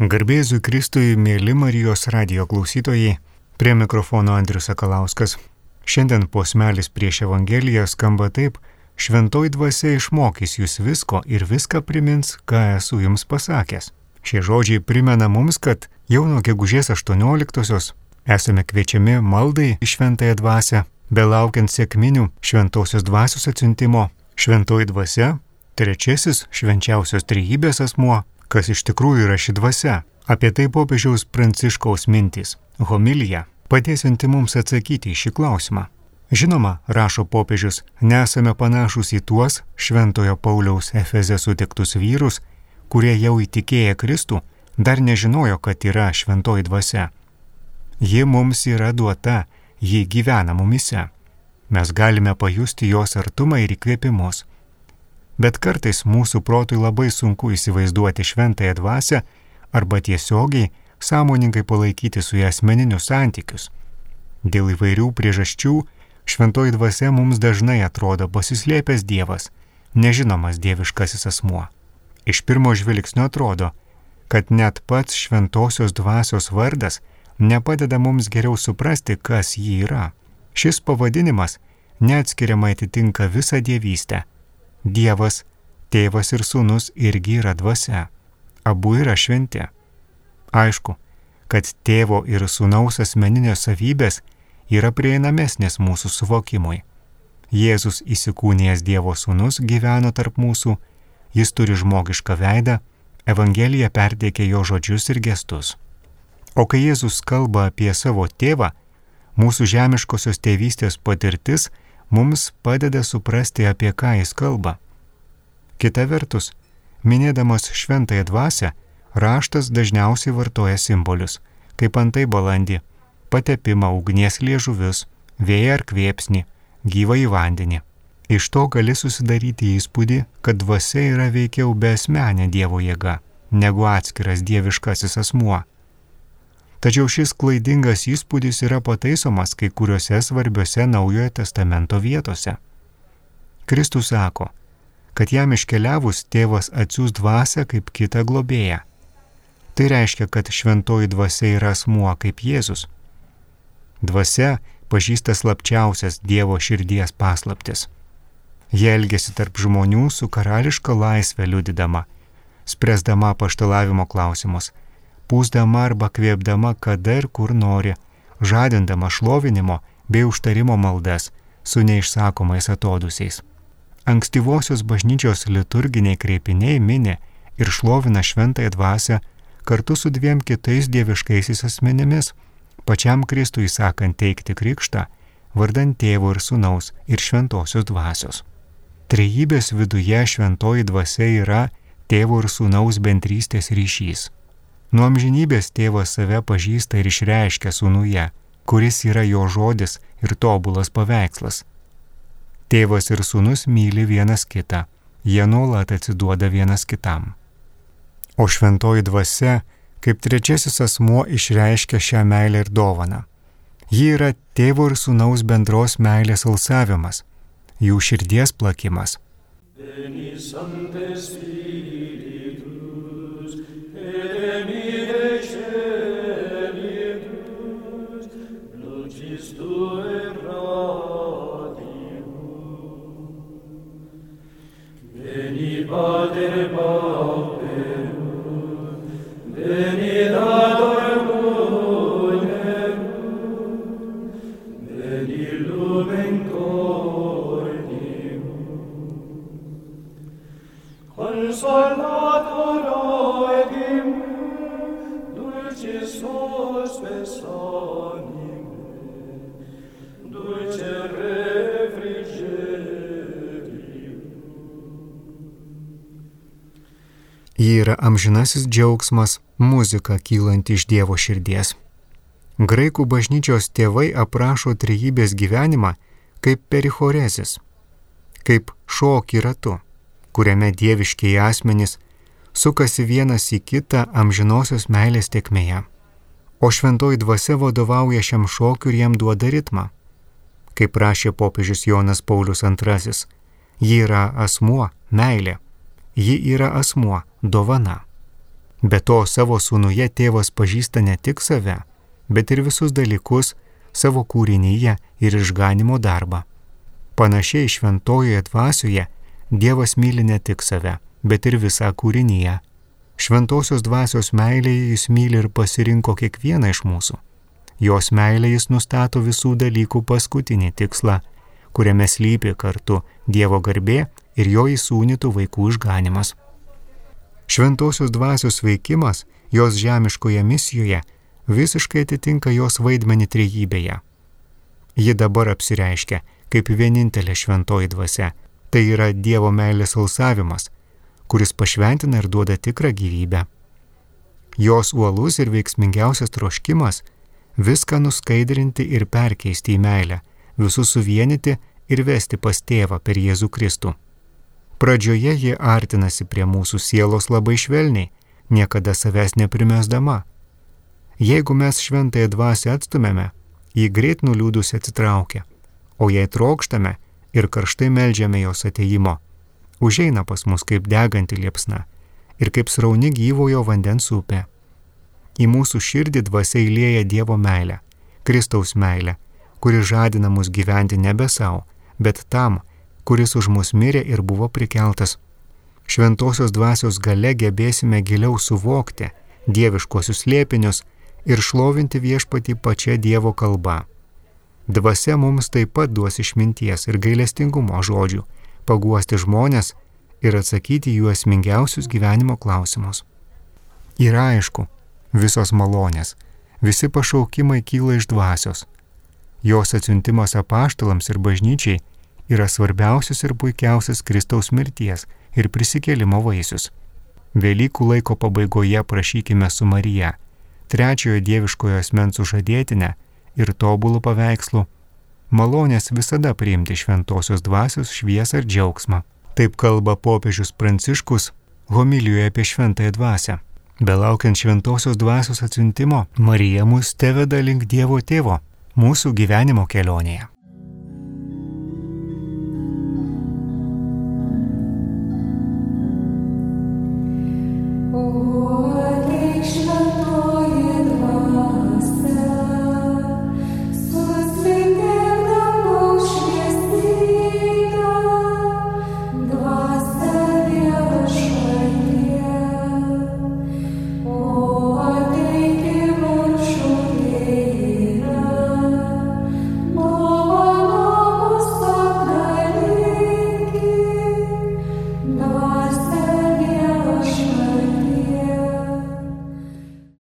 Garbėzui Kristui, mėly Marijos radijo klausytojai, prie mikrofono Andrius Sakalauskas. Šiandien posmelis prieš Evangeliją skamba taip: Šventoji dvasia išmokys jūs visko ir viską primins, ką esu jums pasakęs. Šie žodžiai primena mums, kad jau nuo gegužės 18-osios esame kviečiami maldai į Šventąją dvasią, belaukiant sekminių Šventosios dvasios atsiuntimo. Šventoji dvasia, trečiasis švenčiausios trejybės asmuo, kas iš tikrųjų yra ši dvasia. Apie tai popiežiaus Pranciškaus mintys, homilija, padėsianti mums atsakyti į šį klausimą. Žinoma, rašo popiežius, nesame panašus į tuos Šventojo Pauliaus Efeze sutiktus vyrus, kurie jau įtikėję Kristų, dar nežinojo, kad yra šventoji dvasia. Ji mums yra duota, ji gyvena mumise. Mes galime pajusti jos artumą ir įkvėpimus. Bet kartais mūsų protui labai sunku įsivaizduoti šventąją dvasią arba tiesiogiai, sąmoningai palaikyti su ja asmeninius santykius. Dėl įvairių priežasčių šventoji dvasia mums dažnai atrodo pasislėpęs Dievas, nežinomas dieviškasis asmuo. Iš pirmo žvilgsnio atrodo, kad net pats šventosios dvasios vardas nepadeda mums geriau suprasti, kas ji yra. Šis pavadinimas neatskiriamai atitinka visą dievystę. Dievas, tėvas ir sūnus irgi yra dvasia. Abu yra šventi. Aišku, kad tėvo ir sūnaus asmeninės savybės yra prieinamesnės mūsų suvokimui. Jėzus įsikūnijęs Dievo sūnus gyveno tarp mūsų, jis turi žmogišką veidą, Evangelija perteikia jo žodžius ir gestus. O kai Jėzus kalba apie savo tėvą, mūsų žemiškosios tėvystės patirtis mums padeda suprasti, apie ką jis kalba. Kita vertus, minėdamas šventąją dvasią, raštas dažniausiai vartoja simbolius, kaip antai balandį, patepimą, ugnies liežuvius, vėją ar kvėpsnį, gyvą į vandenį. Iš to gali susidaryti įspūdį, kad dvasia yra veikiau beasmenė Dievo jėga, negu atskiras dieviškasis asmuo. Tačiau šis klaidingas įspūdis yra pataisomas kai kuriuose svarbiuose Naujojo testamento vietose. Kristus sako, kad jam iškeliavus tėvas atsiųs dvasią kaip kitą globėją. Tai reiškia, kad šventoji dvasia yra asmuo kaip Jėzus. Dvasia pažįsta slapčiausias Dievo širdies paslaptis. Jie elgiasi tarp žmonių su karališka laisvė liudydama, spręsdama apaštalavimo klausimus, pūsdama arba kvėpdama kada ir kur nori, žadindama šlovinimo bei užtarimo maldas su neišsakomais atodusiais. Ankstyvosios bažnyčios liturginiai kreipiniai mini ir šlovina šventąją dvasią kartu su dviem kitais dieviškaisiais asmenimis, pačiam Kristui sakant teikti krikštą, vardan tėvo ir sūnaus ir šventosios dvasios. Trejybės viduje šventoji dvasia yra tėvo ir sūnaus bendrystės ryšys. Nuo amžinybės tėvas save pažįsta ir išreiškia sūnuje, kuris yra jo žodis ir tobulas paveikslas. Tėvas ir sūnus myli vienas kitą, jie nuolat atsiduoda vienas kitam. O šventoji dvasia, kaip trečiasis asmuo, išreiškia šią meilę ir dovaną. Ji yra tėvo ir sūnaus bendros meilės alsavimas, jų širdies plakimas. Ji yra amžinasis džiaugsmas, muzika kylanti iš Dievo širdies. Graikų bažnyčios tėvai aprašo trejybės gyvenimą kaip perichorezis, kaip šokį ratu, kuriame dieviškieji asmenys sukasi vienas į kitą amžinosios meilės tėkmėje. O šventoji dvasia vadovauja šiam šokiui ir jam duoda ritmą. Kaip rašė popiežius Jonas Paulius II, ji yra asmuo, meilė. Ji yra asmuo, dovana. Be to savo sūnuje tėvas pažįsta ne tik save, bet ir visus dalykus savo kūrinyje ir išganimo darbą. Panašiai šventojoje dvasioje Dievas myli ne tik save, bet ir visą kūrinyje. Šventosios dvasios meilėje jis myli ir pasirinko kiekvieną iš mūsų. Jos meilė jis nustato visų dalykų paskutinį tikslą, kuriame slypi kartu Dievo garbė ir jo įsūnytų vaikų išganimas. Šventosios dvasios veikimas jos žemiškoje misijoje visiškai atitinka jos vaidmenį trejybėje. Ji dabar apsireiškia kaip vienintelė šventoji dvasia, tai yra Dievo meilės alsavimas, kuris pašventina ir duoda tikrą gyvybę. Jos uolus ir veiksmingiausias troškimas viską nuskaidrinti ir perkeisti į meilę, visus suvienyti ir vesti pas Tėvą per Jėzų Kristų. Pradžioje ji artinasi prie mūsų sielos labai švelniai, niekada savęs neprimesdama. Jeigu mes šventąją dvasią atstumėme, ji greit nuliūdusi atsitraukia, o jei trokštame ir karštai meldžiame jos ateimo, užeina pas mus kaip deganti liepsna ir kaip srauni gyvojo vandens upė. Į mūsų širdį dvasia įlieja Dievo meilę, Kristaus meilę, kuri žadina mus gyventi nebe savo, bet tam, kuris už mus mirė ir buvo prikeltas. Šventosios dvasios gale gebėsime giliau suvokti dieviškosius slėpinius ir šlovinti viešpatį pačia Dievo kalba. Dvasia mums taip pat duos išminties ir gailestingumo žodžių, paguosti žmonės ir atsakyti jų esmingiausius gyvenimo klausimus. Yra aišku, visos malonės, visi pašaukimai kyla iš dvasios. Jos atsiuntimas apaštalams ir bažnyčiai yra svarbiausias ir puikiausias Kristaus mirties ir prisikėlimo vaisius. Velykų laiko pabaigoje prašykime su Marija, trečiojo dieviškojo asmens sužadėtinę ir tobulų paveikslų, malonės visada priimti šventosios dvasios šviesą ir džiaugsmą. Taip kalba popiežius Pranciškus homilijoje apie šventąją dvasią. Belaukiant šventosios dvasios atsiuntimo, Marija mus teveda link Dievo Tėvo mūsų gyvenimo kelionėje.